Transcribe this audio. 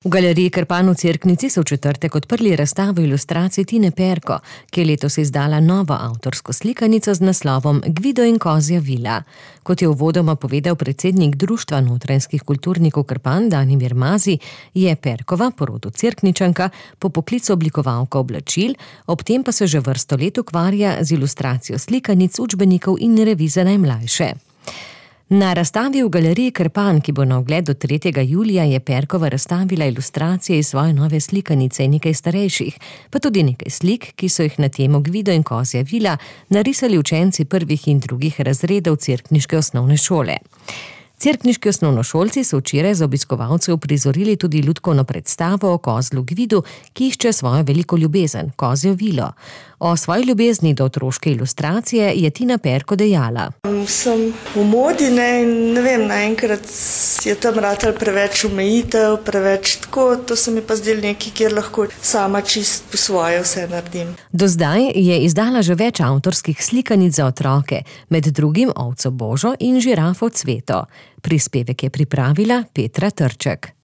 V galeriji Krpan v Cerknici so v četrtek odprli razstavo ilustracij Tine Perko, ki je letos izdala novo avtorsko slikanico z naslovom Gvido in kozja vila. Kot je uvodoma povedal predsednik Društva notranjskih kulturnikov Krpan Danimir Mazi, je Perkova, po rodu Cerkničanka, po poklicu oblikovalka oblačil, ob tem pa se že vrsto let ukvarja z ilustracijo slikanic, učbenikov in revij za najmlajše. Na razstavi v galeriji Krpan, ki bo na ogled do 3. julija, je Perkova razstavila ilustracije iz svoje nove slikanice in nekaj starejših, pa tudi nekaj slik, ki so jih na temo Gvido in kozja vila narisali učenci prvih in drugih razredov cerkniške osnovne šole. Cerkniški osnovnošolci so včeraj za obiskovalce uprizorili tudi lutkovno predstavo o kozlu Gvidu, ki išče svojo veliko ljubezen, kozjo vilo. O svoji ljubezni do otroške ilustracije je Tina Perko dejala. Sem v modi, ne vem, naenkrat je tam ratal preveč omejitev, preveč tako, to se mi pa zdelo nekaj, kjer lahko sama čist po svoje vse naredim. Do zdaj je izdala že več avtorskih slikanic za otroke, med drugim Ovco Božo in Žirafo Cveto. Prispevek je pripravila Petra Trček.